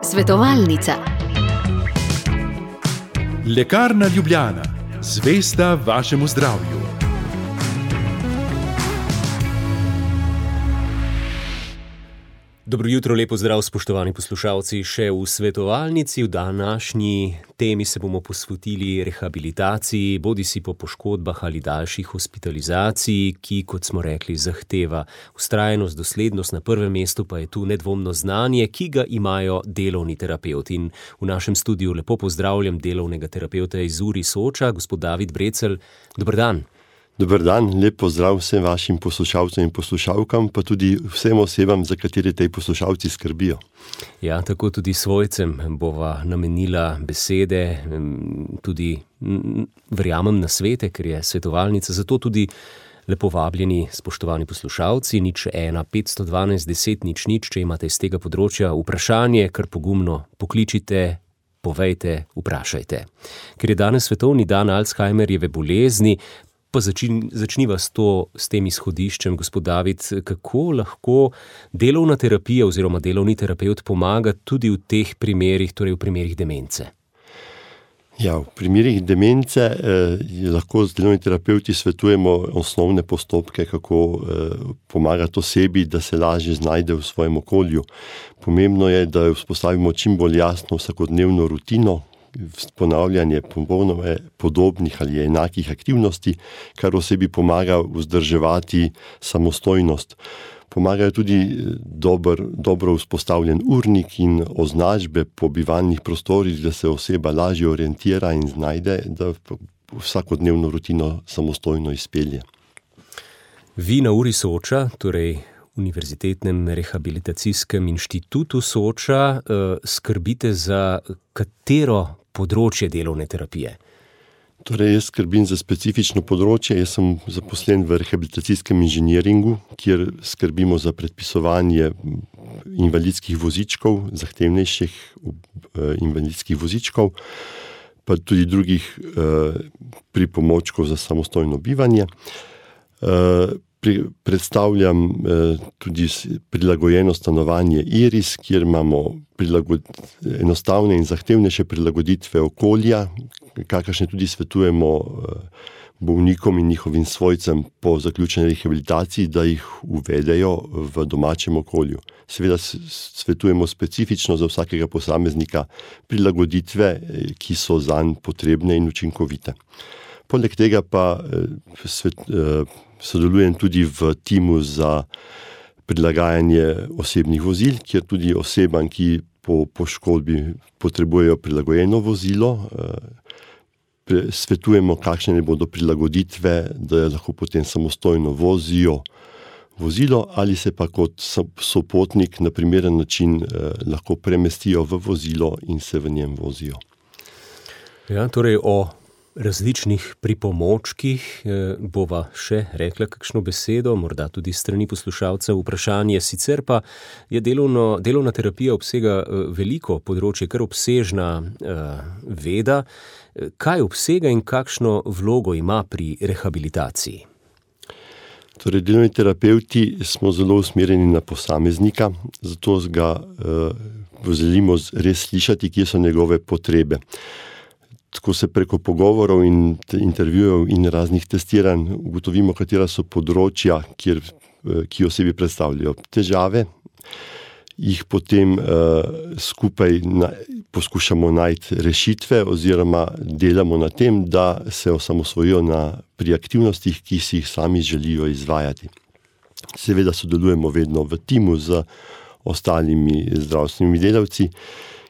Svetovalnica. Lekarna Ljubljana, zvesta vašemu zdravju. Dobro jutro, lepo zdrav, spoštovani poslušalci. Še v svetovalnici v današnji temi se bomo posvetili rehabilitaciji, bodisi po poškodbah ali daljših hospitalizaciji, ki, kot smo rekli, zahteva vztrajnost, doslednost, na prvem mestu pa je tu nedvomno znanje, ki ga imajo delovni terapevti. In v našem studiu lepo pozdravljam delovnega terapevta iz URI Soča, gospod David Brecelj. Dober dan. Dober dan, lep pozdrav vsem vašim poslušalcem in poslušalkam, pa tudi vsem osebam, za katere tej poslušalci skrbijo. Ja, tako tudi svojcem bova namenila besede, tudi verjamem na svete, ker je svetovalnica, zato tudi lepo vabljeni, spoštovani poslušalci, 01 512 10 00, če imate iz tega področja vprašanje, kar pogumno pokličite, povejte, vprašajte. Ker je danes svetovni dan Alzheimerjeve bolezni, pa začniva s tem izhodiščem, gospod David, kako lahko delovna terapija oziroma delovni terapevt pomaga tudi v teh primerih, torej v primerih demence? Ja, v primerih demence lahko z delovni terapevti svetujemo osnovne postopke, kako pomagati osebi, da se lažje znajde v svojem okolju. Pomembno je, da vzpostavimo čim bolj jasno vsakodnevno rutino, ponavljanje popolnoma podobnih ali enakih aktivnosti, kar osebi pomaga vzdrževati samostojnost. Pomagajo tudi dobro vzpostavljen urnik in označbe po bivalnih prostorih, da se oseba lažje orientira in znajde, da vsakodnevno rutino samostojno izpelje. Vi na URI Soča, torej Univerzitetnem rehabilitacijskem inštitutu Soča, skrbite za katero področje delovne terapije? Torej, jaz skrbim za specifično področje. Jaz sem zaposlen v rehabilitacijskem inženiringu, kjer skrbimo za predpisovanje invalidskih vozičkov, zahtevnejših invalidskih vozičkov, pa tudi drugih pripomočkov za samostojno bivanje. Predstavljam tudi prilagojeno stanovanje IRIS, kjer imamo enostavne in zahtevnejše prilagoditve okolja, kakršne tudi svetujemo bolnikom in njihovim svojcem po zaključeni rehabilitaciji, da jih uvedejo v domačem okolju. Seveda svetujemo specifično za vsakega posameznika prilagoditve, ki so zanj potrebne in učinkovite. Poleg tega pa sodelujem tudi v timu za prilagajanje osebnih vozil, kjer tudi osebam, ki po poškodbi potrebujejo prilagojeno vozilo, svetujemo, kakšne bodo prilagoditve, da lahko potem samostojno vozijo vozilo ali se pa kot sopotnik na primeren način lahko premestijo v vozilo in se v njem vozijo. Ja, torej o različnih pripomočkih bova še rekla kakšno besedo, morda tudi strani poslušalcev vprašanje. Sicer pa je delovna terapija obsega veliko področje, kar obsežna veda. Kaj obsega in kakšno vlogo ima pri rehabilitaciji? Torej, delovni terapevti smo zelo usmerjeni na posameznika, zato ga želimo res slišati, kje so njegove potrebe. Tako se preko pogovorov in intervjujev in raznih testiranj ugotovimo, katera so področja, ki osebi predstavljajo težave, jih potem skupaj poskušamo najti rešitve oziroma delamo na tem, da se osamosvojijo pri aktivnostih, ki si jih sami želijo izvajati. Seveda sodelujemo vedno v timu z ostalimi zdravstvenimi delavci,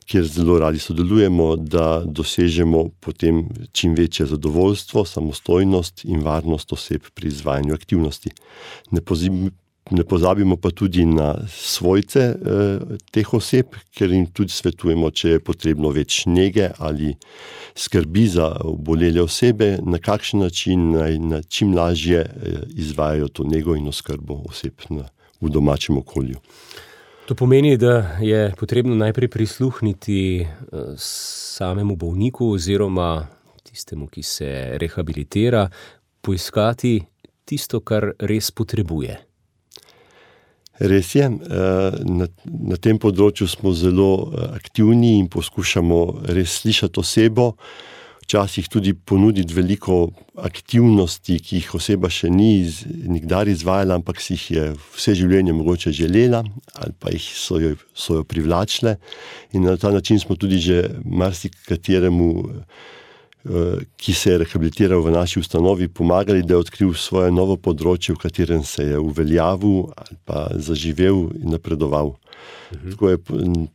kjer zelo radi sodelujemo, da dosežemo potem čim večje zadovoljstvo, samostojnost in varnost oseb pri izvajanju aktivnosti. Ne pozabimo pa tudi na svojce teh oseb, ker jim tudi svetujemo, če je potrebno več nege ali skrbi za obolele osebe, na kakšen način naj čim lažje izvajajo to nego in oskrbo oseb v domačem okolju. To pomeni, da je potrebno najprej prisluhniti samemu bolniku oziroma tistemu, ki se rehabilitira, poiskati tisto, kar res potrebuje. Res je, na tem področju smo zelo aktivni in poskušamo res slišati osebo, včasih tudi ponuditi veliko aktivnosti, ki jih oseba še ni nikdar izvajala, ampak si jih je vse življenje mogoče želela ali pa so jo privlačile. In na ta način smo tudi že marsikateremu, ki se je rehabilitiral v naši ustanovi, pomagali, da je odkril svoje novo področje, v katerem se je uveljavil ali pa zaživel in napredoval. Tako je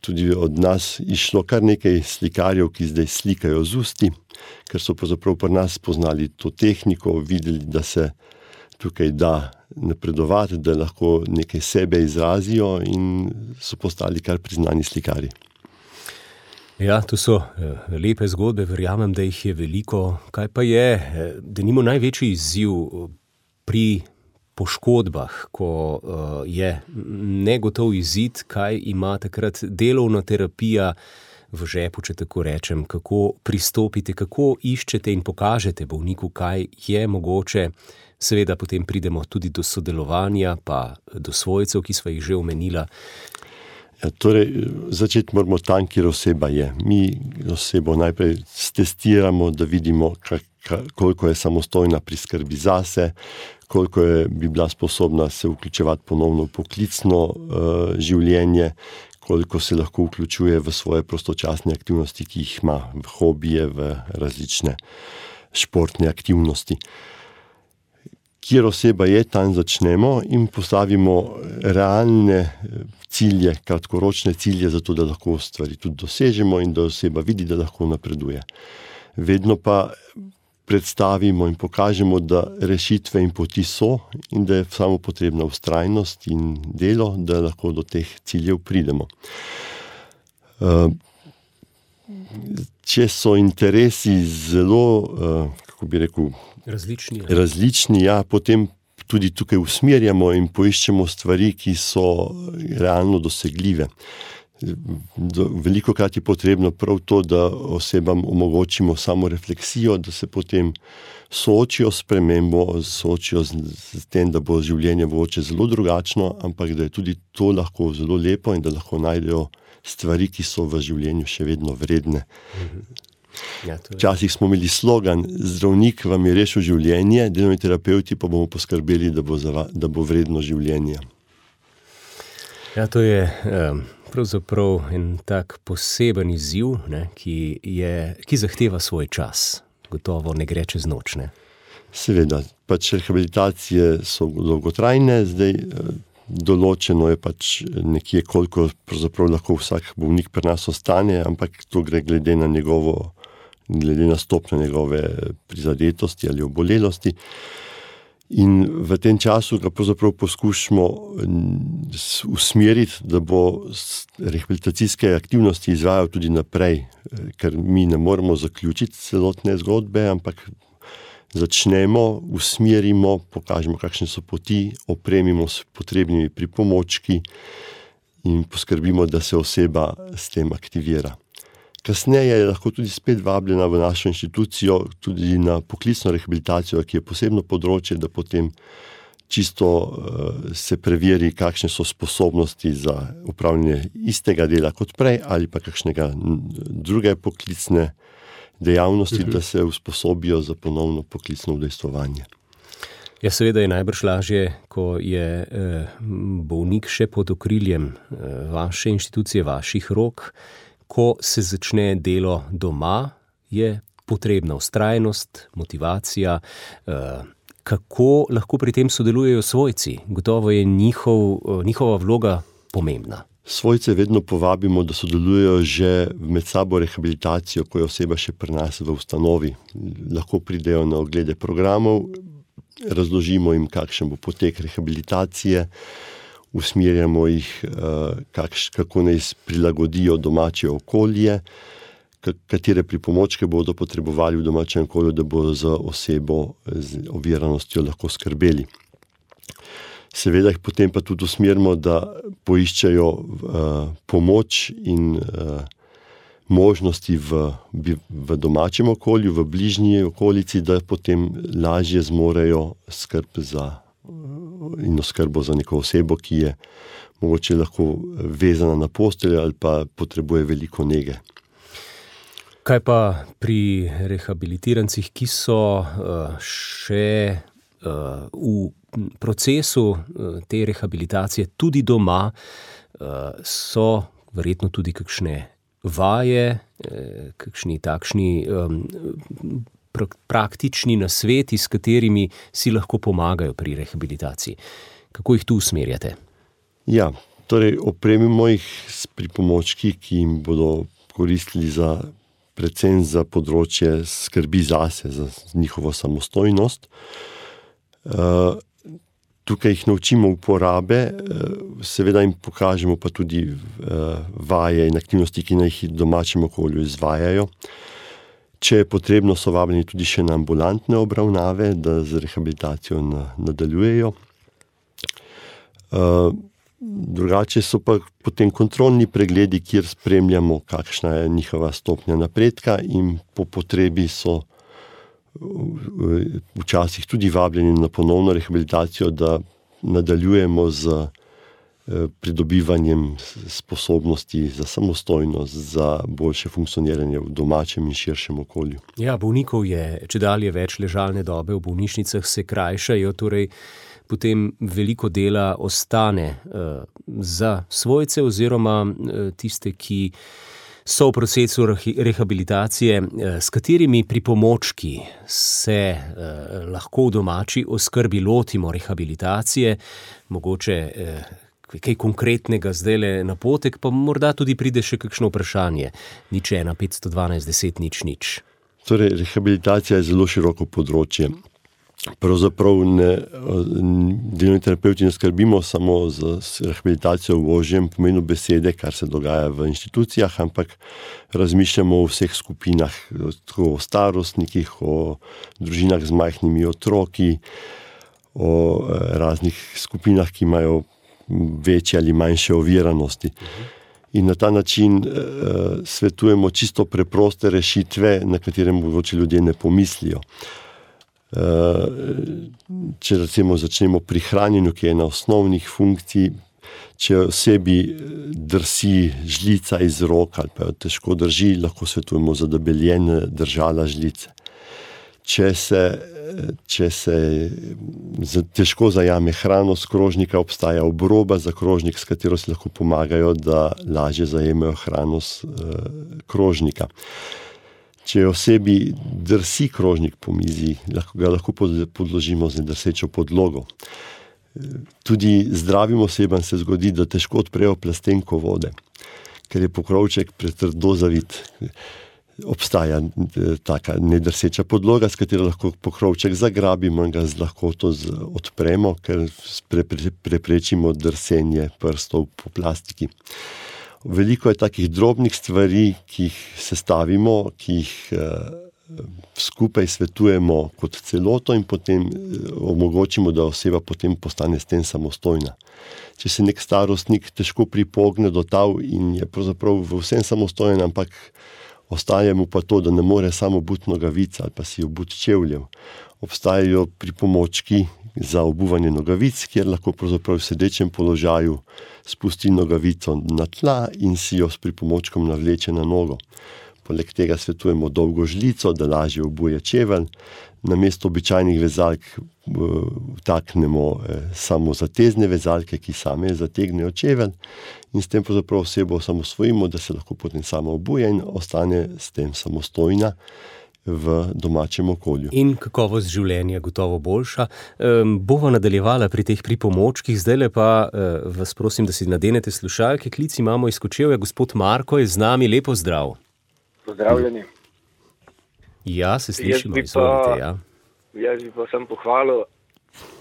tudi od nas išlo kar nekaj slikarjev, ki zdaj slikajo z usti, ker so pravzaprav pri nas poznali to tehniko, videli, da se tukaj da napredovati, da lahko nekaj sebe izrazijo in so postali kar priznani slikarji. Ja, to so lepe zgodbe, verjamem, da jih je veliko. Kaj pa je, denimo največji izziv pri poškodbah, ko je negotov izid, kaj ima takrat delovna terapija v žepu, če tako rečem, kako pristopite, kako iščete in pokažete bolniku, kaj je mogoče. Seveda potem pridemo tudi do sodelovanja, pa do svojcev, ki sva jih že omenila. Ja, torej, začeti moramo tam, kjer oseba je. Mi osebo najprej stestiramo, da vidimo, koliko je samostojna pri skrbi zase, koliko bi bila sposobna se vključevati ponovno v poklicno življenje, koliko se lahko vključuje v svoje prostočasne aktivnosti, ki jih ima, v hobije, v različne športne aktivnosti. Kjer oseba je, tam začnemo in postavimo realne cilje, kratkoročne cilje, zato da lahko stvari tudi dosežemo in da oseba vidi, da lahko napreduje. Vedno pa predstavimo in pokažemo, da rešitve in poti so in da je samo potrebna vztrajnost in delo, da lahko do teh ciljev pridemo. Če so interesi zelo, kako bi rekel, različni, ja, potem tudi tukaj usmerjamo in poiščemo stvari, ki so realno dosegljive. Velikokrat je potrebno prav to, da osebam omogočimo samo refleksijo, da se potem soočijo s spremembo, soočijo s tem, da bo življenje mogoče zelo drugačno, ampak da je tudi to lahko zelo lepo in da lahko najdejo stvari, ki so v življenju še vedno vredne. Ja, včasih smo imeli slogan: zdravnik vam je rešil življenje, delovni terapevti pa bomo poskrbeli, da bo vredno življenje. Ja, to je pravzaprav en tak poseben izziv, ne, ki zahteva svoj čas. Gotovo ne gre čez noč, ne? Seveda, pač rehabilitacije so dolgotrajne, zdaj določeno je pač nekje, koliko pravzaprav lahko vsak bolnik pri nas ostane, ampak to gre glede na stopnjo njegove prizadetosti ali obolelosti. In v tem času ga pravzaprav poskušamo usmeriti, da bo rehabilitacijske aktivnosti izvajal tudi naprej, ker mi ne moremo zaključiti celotne zgodbe, ampak začnemo, usmerimo, pokažemo, kakšne so poti, opremimo s potrebnimi pripomočki in poskrbimo, da se oseba s tem aktivira. Kasneje je lahko tudi spet vabljena v našo inštitucijo, tudi na poklicno rehabilitacijo, ki je posebno področje, da potem čisto se preveri, kakšne so sposobnosti za upravljanje istega dela kot prej ali pa kakšnega druge poklicne dejavnosti, da se usposobijo za ponovno poklicno udejstvovanje. Ja, seveda je najbrž lažje, ko je bolnik še pod okriljem vaše inštitucije, vaših rok. Ko se začne delo doma, je potrebna vztrajnost, motivacija. Kako lahko pri tem sodelujejo svojci? Gotovo je njihova vloga pomembna. Svojce vedno povabimo, da sodelujejo že med sabo rehabilitacijo, ko je oseba še pri nas v ustanovi. Lahko pridejo na oglede programov, razložimo jim, kakšen bo potek rehabilitacije, usmerjamo jih, kako naj prilagodijo domače okolje, katere pripomočke bodo potrebovali v domačem okolju, da bodo za osebo z oviranostjo lahko skrbeli. Seveda jih potem pa tudi usmerimo, da poiščejo pomoč in možnosti v domačem okolju, v bližnji okolici, da potem lažje zmorejo skrb za in oskrbo za neko osebo, ki je mogoče lahko vezana na posteljo ali pa potrebuje veliko nege. Kaj pa pri rehabilitirancih, ki so še v procesu te rehabilitacije tudi doma, so verjetno tudi kakšne vaje, kakšni takšni praktični nasveti, s katerimi si lahko pomagajo pri rehabilitaciji. Kako jih tu usmerjate? Ja, torej opremimo jih s pripomočki, ki jim bodo koristili predvsem za področje skrbi zase, za njihovo samostojnost. Tukaj jih naučimo uporabe, seveda jim pokažemo pa tudi vaje in aktivnosti, ki naj jih v domačem okolju izvajajo. Če je potrebno, so vabljeni tudi še na ambulantne obravnave, da z rehabilitacijo nadaljujejo. Drugače so pa potem kontrolni pregledi, kjer spremljamo, kakšna je njihova stopnja napredka, in po potrebi so včasih tudi vabljeni na ponovno rehabilitacijo, da nadaljujemo z pridobivanjem sposobnosti za samostojnost, za boljše funkcioniranje v domačem in širšem okolju. Ja, bolnikov je čedalje več, ležalne dobe v bolnišnicah se krajšajo, torej potem veliko dela ostane za svojce oziroma tiste, ki so v procesu rehabilitacije. S katerimi pripomočki se lahko v domači oskrbi lotimo rehabilitacije, mogoče kaj konkretnega zdajle napotek, pa morda tudi pride še kakšno vprašanje. 01 512 10 0 0. Torej, rehabilitacija je zelo široko področje. Pravzaprav delovni terapevti ne skrbimo samo za rehabilitacijo v ožjem pomenu besede, kar se dogaja v inštitucijah, ampak razmišljamo o vseh skupinah, tako o starostnikih, o družinah z majhnimi otroki, o raznih skupinah, ki imajo večje ali manjše oviranosti. In na ta način svetujemo čisto preproste rešitve, na katere mogoče ljudje ne pomislijo. Če recimo začnemo pri hranjenju, ki je ena osnovnih funkcij, če osebi drsi žlica iz rok ali pa jo težko drži, lahko svetujemo za debeljene držala žlice. Če se težko zajame hrano s krožnika, obstaja obroba za krožnik, s katero si lahko pomagajo, da lažje zajemajo hrano s krožnika. Če osebi drsi krožnik po mizi, ga lahko podložimo z nedrsečo podlogo. Tudi zdravim osebam se zgodi, da težko odprejo plastenko vode, ker je pokrovček pretrdo zavit. Obstaja taka nedrseča podloga, s katero lahko pokrovček zagrabimo in ga z lahkoto odpremo, ker preprečimo drsenje prstov po plastiki. Veliko je takih drobnih stvari, ki jih sestavimo, ki jih skupaj svetujemo kot celoto in potem omogočimo, da oseba potem postane s tem samostojna. Če se nek starostnik težko pripogne do tal in je pravzaprav v vsem samostojen, ampak ostaje mu pa to, da ne more samo obuti nogavic ali pa si obuti čevljev. Obstajajo pripomočki za obuvanje nogavic, kjer lahko pravzaprav v sedečem položaju spusti nogavico na tla in si jo s pripomočkom navleče na nogo. Poleg tega svetujemo dolgo žlico, da lažje obuje čevelj. Namesto običajnih vezalk vtaknemo samozatezne vezalke, ki same zategnejo čevelj, in s tem pravzaprav osebo samosvojimo, da se lahko potem sama obuje in ostane s tem samostojna v domačem okolju. In kakovost življenja gotovo boljša. Bova nadaljevala pri teh pripomočkih, zdajle pa vas prosim, da si nadenete slušalke. Klic imamo iz Kočevja, gospod Marko je z nami, lepo zdrav. Pozdravljeni. Ja, se slišimo, izvolite, ja. Jaz bi pa sem pohvalil,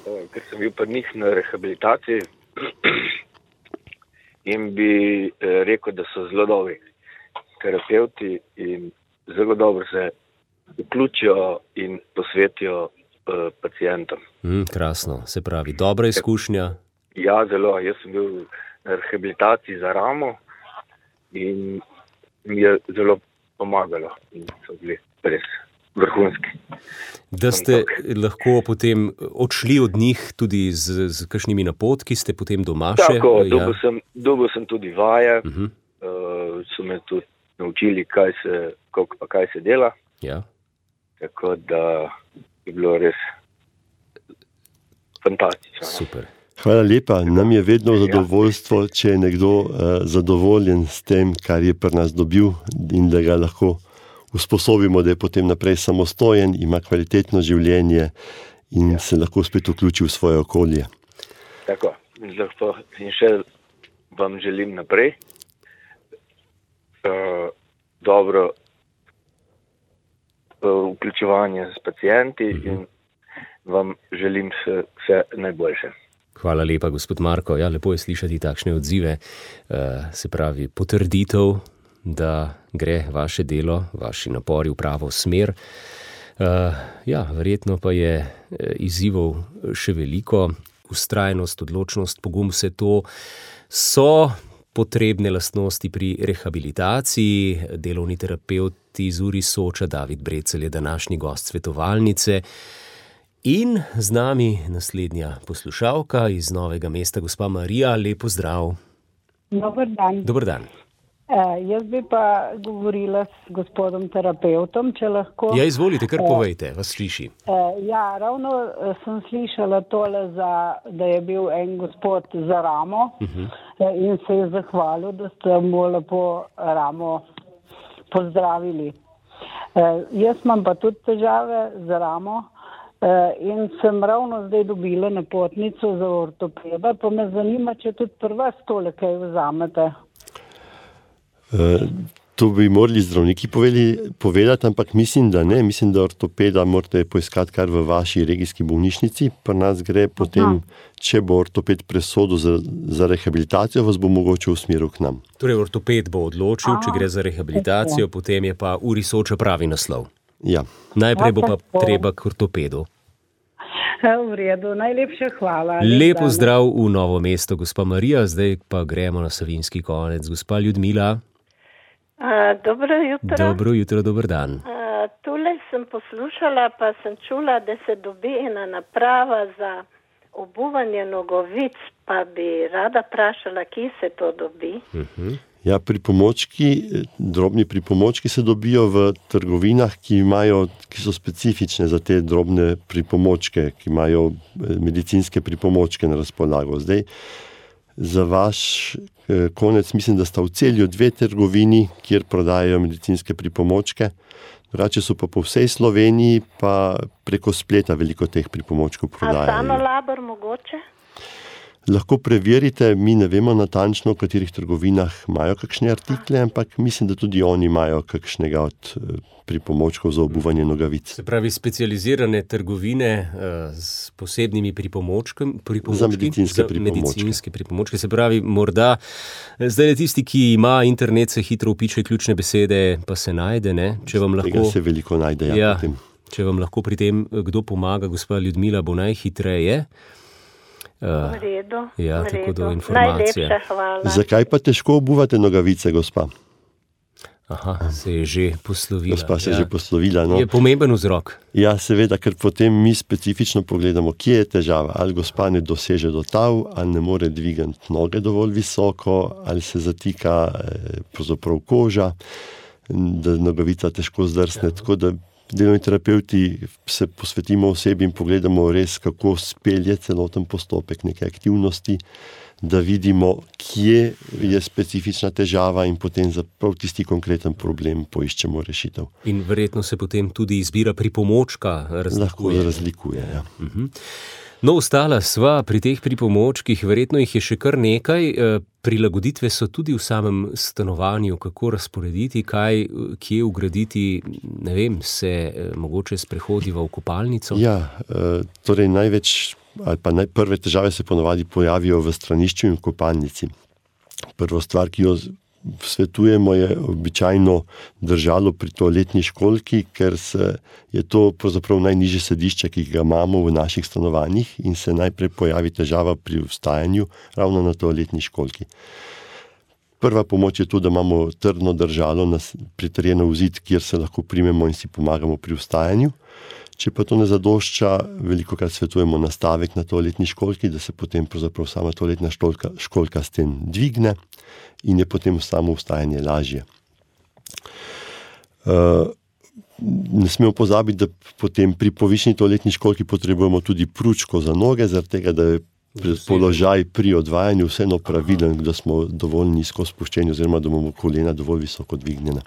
ker sem bil pri njih na rehabilitaciji in bi rekel, da so zelo dobri terapevti in zelo dobro se vključijo in posvetijo pacientom. Krasno, se pravi, dobra izkušnja. Ja, zelo. Jaz sem bil na rehabilitaciji za ramo in mi je zelo pomagalo in so bili res vrhunski. Da ste lahko potem odšli od njih tudi z kakšnimi napotki, ste potem doma še? Tako, dobil sem tudi vaje, so me tudi naučili, kaj se dela. Ja. Tako da je bilo res fantastično. Super. Hvala lepa. Nam je vedno zadovoljstvo, če je nekdo zadovoljen s tem, kar je pri nas dobil in da ga lahko usposobimo, da je potem naprej samostojen, ima kvalitetno življenje in se lahko spet vključi v svoje okolje. Tako. In še vam želim naprej dobro vključevanje s pacienti in vam želim vse najboljše. Hvala lepa, gospod Marko. Ja, lepo je slišati takšne odzive, se pravi potrditev, da gre vaše delo, vaši napori v pravo smer. Ja, verjetno pa je izzivov še veliko. Vztrajnost, odločnost, pogum, vse to so potrebne lastnosti pri rehabilitaciji. Delovni terapevt iz URI Soča, David Brecelj, je današnji gost svetovalnice. In z nami naslednja poslušalka iz Novega mesta, gospa Marija. Lep pozdrav. Dober dan. Dober dan. Jaz bi pa govorila s gospodom terapeutom, če lahko. Ja, izvolite, kar povejte, vas sliši. Ja, ravno sem slišala tole, da je bil en gospod za ramo in se je zahvalil, da ste mu lepo ramo pozdravili. Jaz imam pa tudi težave z ramo in sem ravno zdaj dobila napotnico za ortopeda, pa me zanima, če tudi pri vas tole kaj vzamete. To bi morali zdravniki povedati, ampak mislim, da ne. Mislim, da ortopeda morate poiskati kar v vaši regijski bolnišnici. Pri nas gre potem, če bo ortoped presodil za rehabilitacijo, vas bo mogoče usmeril k nam. Torej, ortoped bo odločil, če gre za rehabilitacijo, potem je pa URI Soča pravi naslov. Ja. Najprej bo pa treba k ortopedu. V redu, najlepša hvala. Lep pozdrav v Novo mesto, gospa Marija. Zdaj pa gremo na Savinjski konec. Gospa Ljudmila. Dobro jutro. Dobro jutro, dober dan. Tule sem poslušala, pa sem čula, da se dobi ena naprava za obuvanje nogavic, pa bi rada vprašala, kje se to dobi. Ja, drobni pripomočki se dobijo v trgovinah, ki so specifične za te drobne pripomočke, ki imajo medicinske pripomočke na razpolago. Zdaj, za vaš konec mislim, da sta v Celju 2 trgovini, kjer prodajajo medicinske pripomočke. Drugače so pa po vsej Sloveniji, pa preko spleta veliko teh pripomočkov prodajajo. A Sanolabor mogoče? Lahko preverite, mi ne vemo natančno, v katerih trgovinah imajo kakšne artikle, ampak mislim, da tudi oni imajo kakšnega od pripomočkov za obuvanje nogavic. Se pravi, specializirane trgovine s posebnimi pripomočki? Za medicinske pripomočke. Se pravi, morda zdaj tisti, ki ima internet, se hitro vpiše ključne besede, pa se najde, ne? Tega se veliko najde, ja, potem. Če vam lahko pri tem kdo pomaga, gospa Ljudmila, bo najhitreje. V redu. Ja, tako do informacije. Najlepša hvala. Zakaj pa težko obuvate nogavice, gospa? Aha, se je že poslovila. Gospa se je že poslovila, no. Je pomemben vzrok. Ja, seveda, ker potem mi specifično pogledamo, kje je težava. Ali gospa ne doseže do tav, ali ne more dvigati noge dovolj visoko, ali se zatika pravzaprav koža, da nogavica težko zdrsne, tako da delovni terapevti se posvetimo osebi in pogledamo res, kako spelje celoten postopek neke aktivnosti, da vidimo, kje je specifična težava in potem za prav tisti konkreten problem poiščemo rešitev. In verjetno se potem tudi izbira pripomočka razlikuje. Lahko razlikuje, ja. No, ostala sva pri teh pripomočkih, verjetno jih je še kar nekaj. Prilagoditve so tudi v samem stanovanju, kako razporediti, kje ugraditi, ne vem, se mogoče sprehodiva v kopalnico? Ja, torej prve težave se ponavadi pojavijo v stranišču in v kopalnici. Prvo stvar, ki jo svetujemo, je običajno držalo pri toaletni školjki, ker je to pravzaprav najnižje sedišče, ki ga imamo v naših stanovanjih in se najprej pojavi težava pri vstajanju ravno na toaletni školjki. Prva pomoč je to, da imamo trdno držalo pritrjeno v zid, kjer se lahko primemo in si pomagamo pri vstajanju. Če pa to ne zadošča, velikokrat svetujemo nastavek na toaletni školjki, da se potem pravzaprav sama toaletna školjka s tem dvigne in je potem samo vstajanje lažje. Ne smemo pozabiti, da potem pri povišeni toaletni školjki potrebujemo tudi pručko za noge, zaradi tega, da je položaj pri odvajanju vseeno pravilen, da smo dovolj nizko spuščeni oziroma da imamo kolena dovolj visoko dvignjena.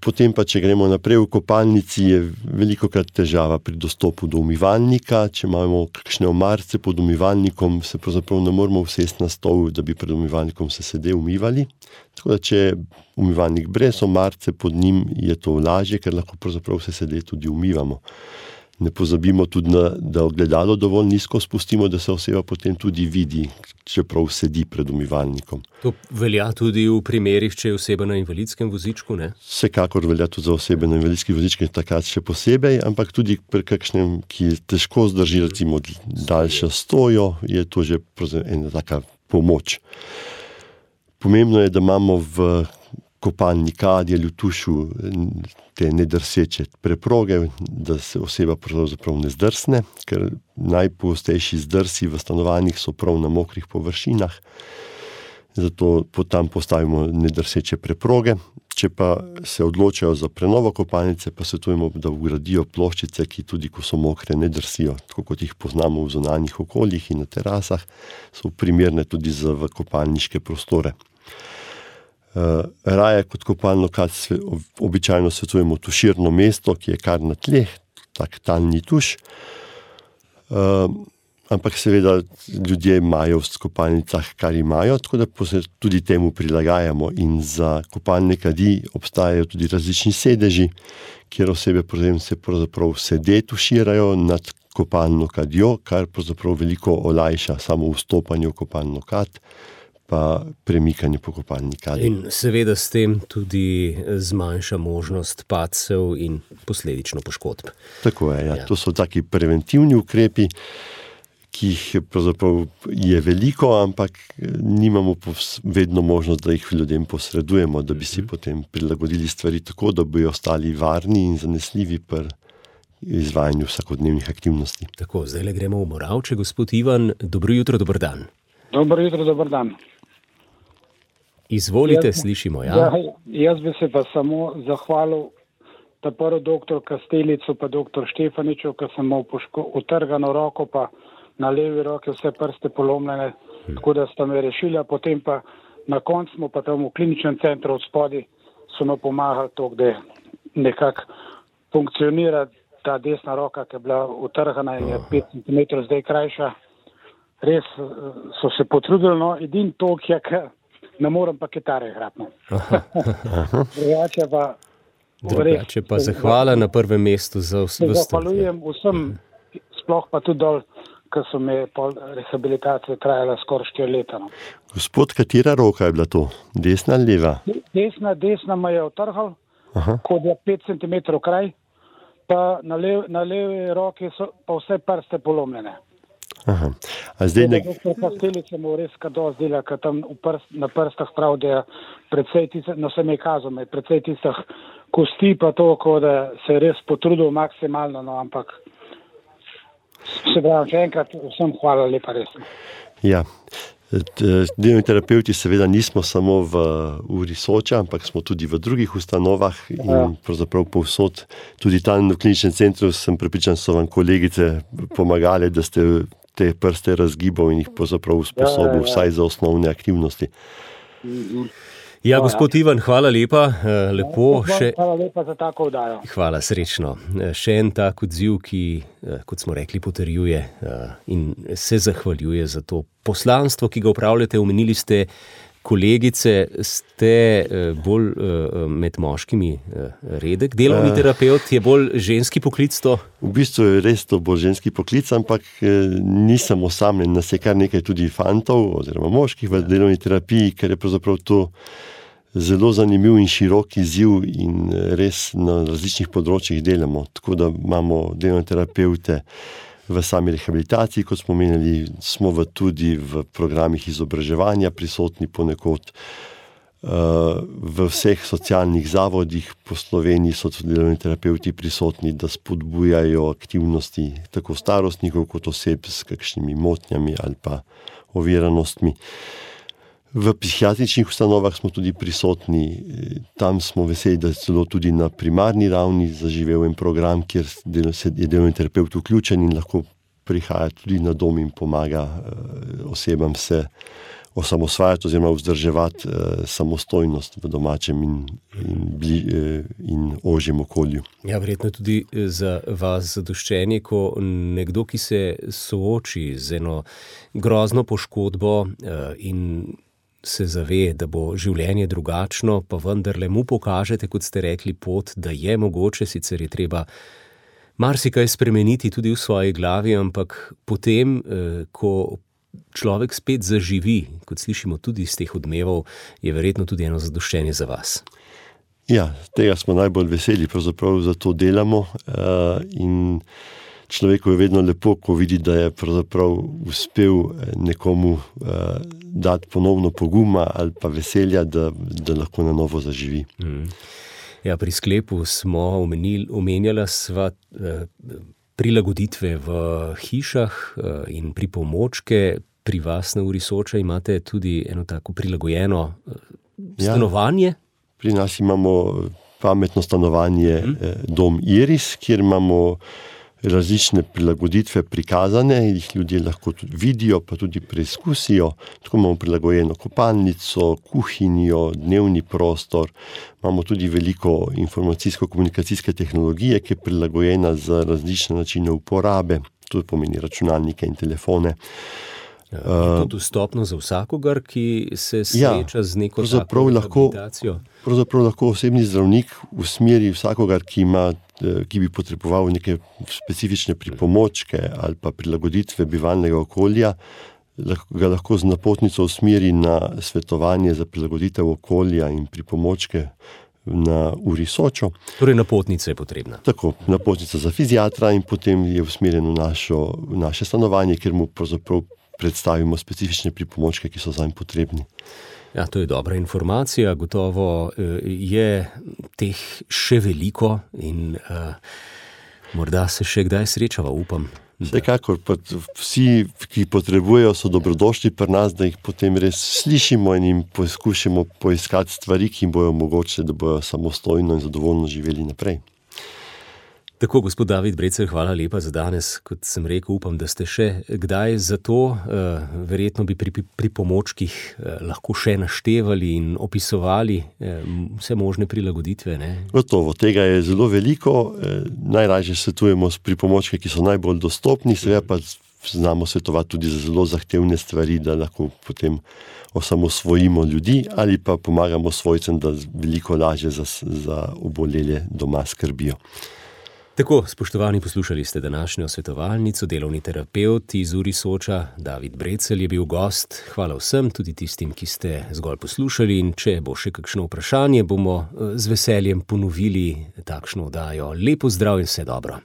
Potem pa, če gremo naprej v kopalnici, je velikokrat težava pri dostopu do umivalnika. Če imamo kakšne omarce pod umivalnikom, se pravzaprav ne moramo usesti na stol, da bi pred umivalnikom se sede umivali. Tako da, če je umivalnik brez omarce pod njim, je to lažje, ker lahko pravzaprav se sede tudi umivamo. Ne pozabimo tudi, da ogledalo dovolj nizko spustimo, da se oseba potem tudi vidi, čeprav sedi pred umivalnikom. To velja tudi v primerih, če je oseba na invalidskem vozičku, ne? Vsekakor velja tudi za osebe na invalidskih vozičkih, takrat še posebej, ampak tudi pri kakšnem, ki težko zdrži, recimo daljšo stojo, je to že ena taka pomoč. Pomembno je, da imamo v kopalni kadi ali v tušu te nedrseče preproge, da se oseba pravzaprav ne zdrsne, ker najpogostejši zdrsi v stanovanjih so prav na mokrih površinah, zato tam postavimo nedrseče preproge. Če pa se odločajo za prenovo kopalnice, pa svetujemo, da vgradijo ploščice, ki tudi, ko so mokre, ne drsijo, tako kot jih poznamo v zunanjih okoljih in na terasah, so primerne tudi za v kopalniške prostore. Raje kot kopalno kad običajno svetujemo tuširno mesto, ki je kar na tleh, tak talni tuš. Ampak seveda ljudje imajo v kopalnicah, kar imajo, tako da se tudi temu prilagajamo in za kopalne kadi obstajajo tudi različni sedeži, kjer osebe se pravzaprav sede tuširajo nad kopalno kadjo, kar pravzaprav veliko olajša samo vstopanje v kopalno kad, pa premikanje po kopalni kadi. In seveda s tem tudi zmanjša možnost padcev in posledično poškodb. Tako je, ja. To so taki preventivni ukrepi, ki jih pravzaprav je veliko, ampak nimamo vedno možnost, da jih ljudem posredujemo, da bi si potem prilagodili stvari tako, da bi ostali varni in zanesljivi pri izvajanju vsakodnevnih aktivnosti. Tako, zdaj gremo v Moravče. Gospod Ivan, dobro jutro, dober dan. Dobro jutro, dober dan. Izvolite, slišimo, ja. Jaz bi se pa samo zahvalil ta prvo doktor Kastelicu pa doktor Štefaniču, ker sem imel utrgano roko, pa na levi roki vse prste polomljene, tako da sta me rešila, potem pa na koncu smo pa tam v kliničnem centru od spodaj so me pomagali to, da nekako funkcionira ta desna roka, ki je bila utrgana in je 5 cm zdaj krajša. Res so se potrudili, no, edin to, ki je, ne morem pa kitare igrati. Drugače pa zahvala na prvem mestu za vse. Zahvaljujem vsem, sploh pa tudi dol, ker so me po rehabilitaciji trajala skoraj 4 leta. No. Gospod, katera roka je bila to? Desna ali leva? Desna me je utrgal, kot je 5 cm kraj, pa na levi roki so pa vse prste polomljene. Aha. A zdaj Doktor Kastelic se mu res kados dela, ker tam na prstah prav, da je precej tistih, no se mi je kazal, precej tistih kosti pa to, da se je res potrudil maksimalno, no, ampak se pravi, še enkrat vsem hvala lepa res. Ja, delovni terapevti seveda nismo samo v uri Soča, ampak smo tudi v drugih ustanovah in pravzaprav povsod. Tudi tam v kliničnem centru sem prepričan, so vam kolegice pomagale, da ste te prste razgibal in jih pravzaprav usposobil vsaj za osnovne aktivnosti. Ja, gospod Ivan, hvala lepa. Lepo še. Hvala lepa za tako oddajo. Hvala, srečno. Še en tak odziv, ki, kot smo rekli, potrjuje in se zahvaljuje za to poslanstvo, ki ga upravljate. Omenili ste kolegice, ste bolj med moškimi redek. Delovni terapeut je bolj ženski poklic to? V bistvu je res to bolj ženski poklic, ampak nisem osamljen, nas je kar nekaj tudi fantov oziroma moških v delovni terapiji, ker je pravzaprav to zelo zanimiv in širok izziv in res na različnih področjih delamo. Tako da imamo delovne terapeute v sami rehabilitaciji, kot smo menili, smo tudi v programih izobraževanja prisotni ponekod. V vseh socialnih zavodih po Sloveniji so tudi delovni terapevti prisotni, da spodbujajo aktivnosti tako starostnikov kot oseb s kakšnimi motnjami ali pa oviranostmi. V psihiatričnih ustanovah smo tudi prisotni, tam smo veseli, da je celo tudi na primarni ravni zaživel en program, kjer je delovni terapevt vključen in lahko prihaja tudi na dom in pomaga osebam se osamosvajati oziroma vzdrževati samostojnost v domačem in ožjem okolju. Ja, verjetno tudi za vas zadoščenje, ko nekdo, ki se sooči z eno grozno poškodbo in se zave, da bo življenje drugačno, pa vendarle mu pokažete, kot ste rekli, pot, da je mogoče, sicer je treba marsikaj spremeniti tudi v svoji glavi, ampak potem, ko človek spet zaživi, kot slišimo tudi iz teh odmevov, je verjetno tudi eno zadoščenje za vas. Ja, tega smo najbolj veseli, pravzaprav zato delamo in človeku je vedno lepo, ko vidi, da je pravzaprav uspel nekomu dati ponovno poguma ali pa veselja, da lahko na novo zaživi. Ja, pri sklepu smo omenjala sva prilagoditve v hišah in pripomočke. Pri vas na Uri Soča imate tudi eno tako prilagojeno stanovanje? Ja, pri nas imamo pametno stanovanje Dom Iris, kjer imamo različne prilagoditve prikazane, jih ljudje lahko tudi vidijo, pa tudi preizkusijo. Tako imamo prilagojeno kopalnico, kuhinjo, dnevni prostor, imamo tudi veliko informacijsko-komunikacijske tehnologije, ki je prilagojena za različne načine uporabe, to pomeni računalnike in telefone. Je to dostopno za vsakogar, ki se sreča z neko tako rehabilitacijo? Pravzaprav lahko osebni zdravnik usmeri vsakogar, ki bi potreboval neke specifične pripomočke ali pa prilagoditve bivalnega okolja, ga lahko z napotnico usmeri na svetovanje za prilagoditev okolja in pripomočke na Uri Sočo. Torej napotnica je potrebna. Tako, napotnica za fiziatra in potem je usmerjen v naše stanovanje, kjer mu pravzaprav predstavimo specifične pripomočke, ki so zanj potrebni. Ja, to je dobra informacija, gotovo je teh še veliko in morda se še kdaj srečava, upam. Vsekakor, pa vsi, ki potrebujejo, so dobrodošli pri nas, da jih potem res slišimo in jim poskušamo poiskati stvari, ki jim bojo omogočile, da bojo samostojno in zadovoljno živeli naprej. Tako, gospod David Brecelj, hvala lepa za danes. Kot sem rekel, upam, da ste še kdaj za to. Verjetno bi pri pomočkih lahko še naštevali in opisovali vse možne prilagoditve. Ne? Gotovo, tega je zelo veliko. Najražje svetujemo s pripomočki, ki so najbolj dostopni, seveda pa znamo svetovati tudi za zelo zahtevne stvari, da lahko potem osamosvojimo ljudi ali pa pomagamo svojcem, da veliko lažje za obolele doma skrbijo. Tako, spoštovani, poslušali ste današnjo svetovalnico, delovni terapevt iz Uri Soča, David Brecelj je bil gost. Hvala vsem, tudi tistim, ki ste zgolj poslušali, in če bo še kakšno vprašanje, bomo z veseljem ponovili takšno oddajo. Lepo zdrav in vse dobro.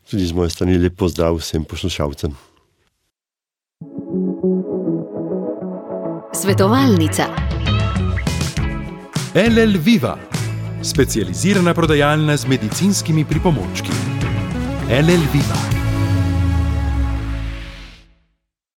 Tudi z moje strani lepo zdrav vsem poslušalcem. Svetovalnica. LL Viva, specializirana prodajalna z medicinskimi pripomočki. LL Viva.